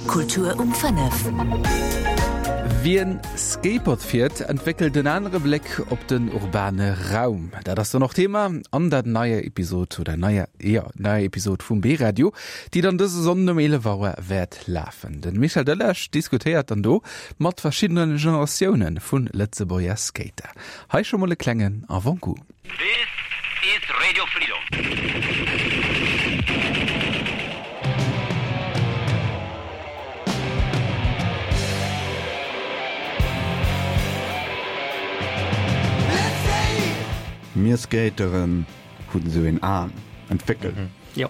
Kultur um 5. Wien Skateboard fiert, entwéckelt en anere Bléck op den urbane Raum. Dat ass dann och Thema an der neier Episod oder neier, jo, neier Episod vum B-Radio, déi dann dëse Sonnden um 11 Auer wäert lafen. De Michel Delage diskutéiert dann do mat verschiddene Generatioune vu Lëtzebuerger Skater. Hei scho mol e klengen Avant-goût. This is Radio Freedom. Mir Skateren hunn esou een Aen entwéckelt. Jo.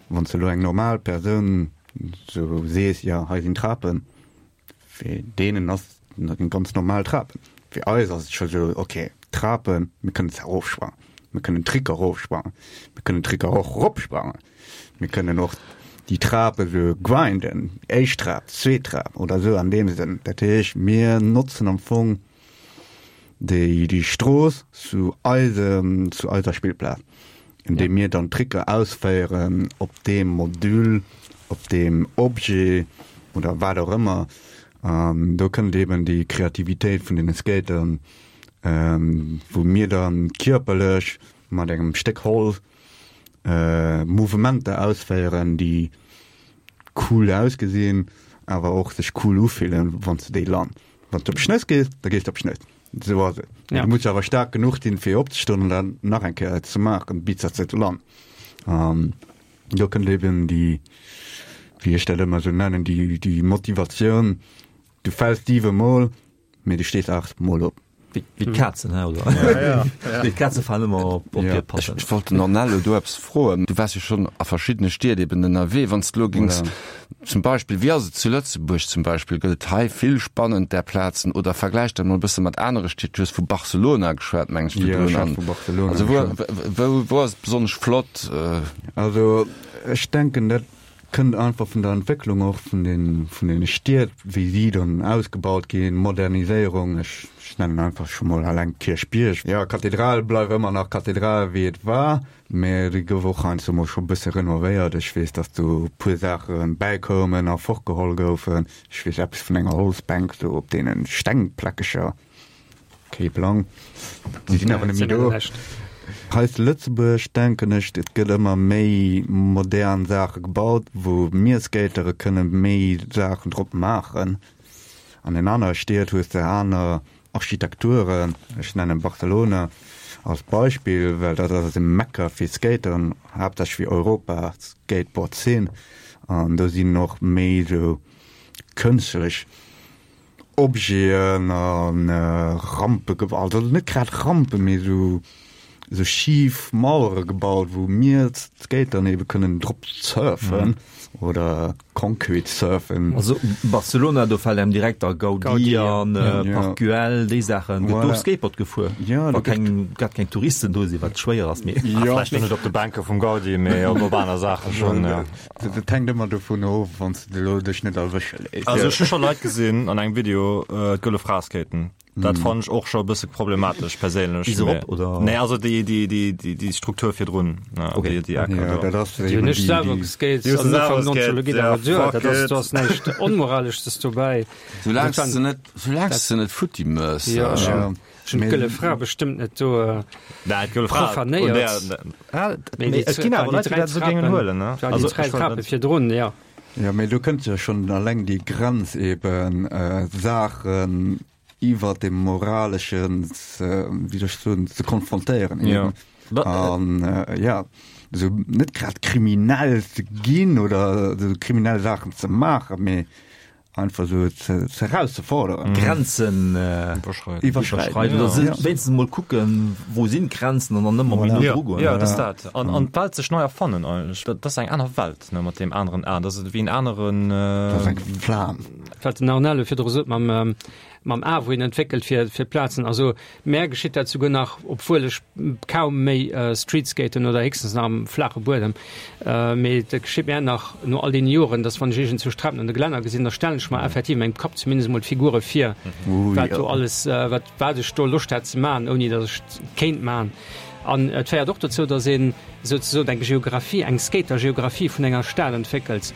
Wann s de elo eng normal Persoun sou sees, jo hei sinn Trapen, Fir deenen ass dat eng ganz normal Trapen. Fir eis ass et scho sou, ok, Trapen, mir kënnen se erofsprangen, mir kënnen Tricker erofsprangen, mir kënnen Tricker och eropsprangen, mir kënnen och déi Trape sou grinden, éischt Trap, zweet Trap oder sou an deem Sënn. Dat heescht, mir notzen am Fong déi déi Strooss zu eisem, zu eiser Spillplaz, indeem mir dann Tricker ausféieren op deem Module, op deem Objet oder wat och ëmmer. An do kënnt eben déi Kreativitéit vun deene Skatern, wou mir dann kierperlech mat engem Stéck Holz Mouvementer ausféieren, déi cool ausgesinn, awer och sech cool ufillen, wann s de déi lann. Wann s de op d'Schnëss gees, da gees de op d'Schnëss. Esou ass et. Ja. Du muss awer staark genuch sinn, fir opzestoen an dat nach eng Kéier ze maachen, bis dass de et lann. An do kënnt eben déi, wéi ech dat ëmmer esou nennen, déi, déi Motivatioun, du fäls siwe Mol, mee du stees 8 Mol op. Wéi d'Kazen, he, oder? Ja, ja. Nee, d'Kaze falen ëmmer op, op hir Patten. Ech wollt den Ornello do eppes froen. Du waars jo schonn a verschiddene Stied eben ënnerwee. Wann s de elo géings zum Beispill, wéi ass et zu Lëtzebuerg zum Beispill, gëtt et hei vill spannend där Plazen oder vergläich dat mol e bësse mat anere Stied? Du hues vu Barcelona geschwat, meng ech, Jo, virdrun. ech hat vu Barcelona Also wou, geschwat. wou, wou ass et besonnesch flott? Also ech denken, dat Kënnt einfach vun der Entwécklung och vun den, vun den Stied, wéi si dann ausgebaut ginn, Moderniséierung, ech nennen einfach scho mol alleng Kierchbierg. Jo, Kathedral bleift ëmmer nach Kathedral wéi et war, mä déi gouf och heiansdo mol scho bësse renovéiert. Ech weess, datt do e puer Saache bäikoumen a fortgeholl goufen. Ech weess eppes vun enger Holzbänk do op deene Stengpläckecher. Kee Plang. Si sinn awer net méi do. Hei zu Lëtzebuerg denken ech, et gëtt ëmmer méi modern Saache gebaut, wou mir Skatere kënne méi Saachen drop maachen. An den anere Stied hues de aner Architekturen. Ech nennen Barcelona als Beispill, well dat ass e Mekka fir Skateren, haaptsächlech fir Europa Skateboard-Zeen. An do sinn och méi esou kënstlech Objeten a Rampe gebaut, also net grad Rampen, mee esou esou schif Mauere gebaut, wou mir Skatern ebe kënnen drop surfen oder Concrete surfen. Also Barcelona, do fält engem direkt da Gaudí an, Park Güell, déi Saachen. Gëtt do Skateboard gefuer? Wa keng, grad keng Touristen do sinn, wat schwéier ass, mee. Vläicht net op de Bänke vum Gaudí, mee op aner Saache schonn, jo. Dat hänkt ëmmer dovun of, wann s de elo dech net erwësche léiss. Also ech hu scho Leit gesinn an engem Video d'Gëlle Fra skaten. Dat fannen ech och scho e bësse problematesch perséinlech. Bis erop, oder? Nee, also déi, déi, déi, déi, déi Struktur virdrun, Okay. déi, déi Ecker Ja, do. dat ass Déi hunn eben ech déi, selwer déi. geskate Déi hues du an selwer Ufank geskate, 19 ja, awer duer. fuck Dat ass, it. do ass näischt Onmoraleschtes dobäi. Soulaang s de net, soulaang s de net futti mëss. Jo, ech Ja. hunn ech hunn d'Gëlle Fra bestëmmt net do profanéiert. Mee et ginn awer Leit, déi dat esou géingen huelen, ne? Also déi 3 Trape virdrun, jo. Jo, mee do kënnt jo schonn alleng déi Grenz eben, Saachen iwwer dem Moraleschen ze, wéi soll ech soen, ze konfrontéieren eben. An jo, esou net grad kriminell ze ginn oder esou kriminell Saachen ze maachen, mee Einfach sou ze erauszeforderen. Grenzen iwwerschreiden oder se wéinstens emol kucken, wou sinn d'Grenzen an dann ëmmer méi no dru goen. Jo, dat ass dat. An an d'Welt sech nei erfannen eigentlech. Dat ass eng aner Welt, ne, mat deem aneren A. Dat ass ewéi en aneren. Dat ass eng Flam. Wat den Arnello virdru sot mam mam A, wou een entwéckelt fir fir d'Plazen. Also mär geschitt dat souguer nach, obwuel ech kaum méi streetskaten oder héchstens nach am flaache Buedem. Mee dat geschitt mär nach no all deene Joren, dass wann ech iergendzwou Trapen an de Gelänner gesinn, da stellen ech mer effektiv a mengem Kapp zumindest emol d'Figure vir, wat do alles, wat wat ech do Loscht hätt ze maachen, ouni datt ech et kéint maachen. An et féiert och dozou, datt een souzesoen eng Geographie, eng Skater-Geographie vun enger Stad entwéckelt.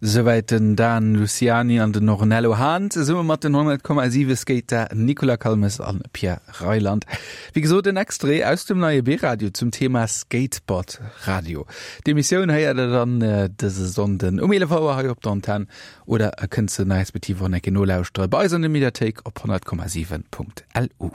Souwäit den Dan Luciani an den Ornello Hahn zesumme mat den 100,7 Skater Nicolas Calmes an Pierre Reyland. Wéi gesot en Extrait aus dem neie B-Radio zum Thema Skateboard Radio. D'Emissioun héiert der dann dëse Sonnden um 11 Auer hei op der Antenn oder e kënnt se respektiv och nach eng Kéier nolauschtere bei eis an der Mediathéik op 100,7.lu.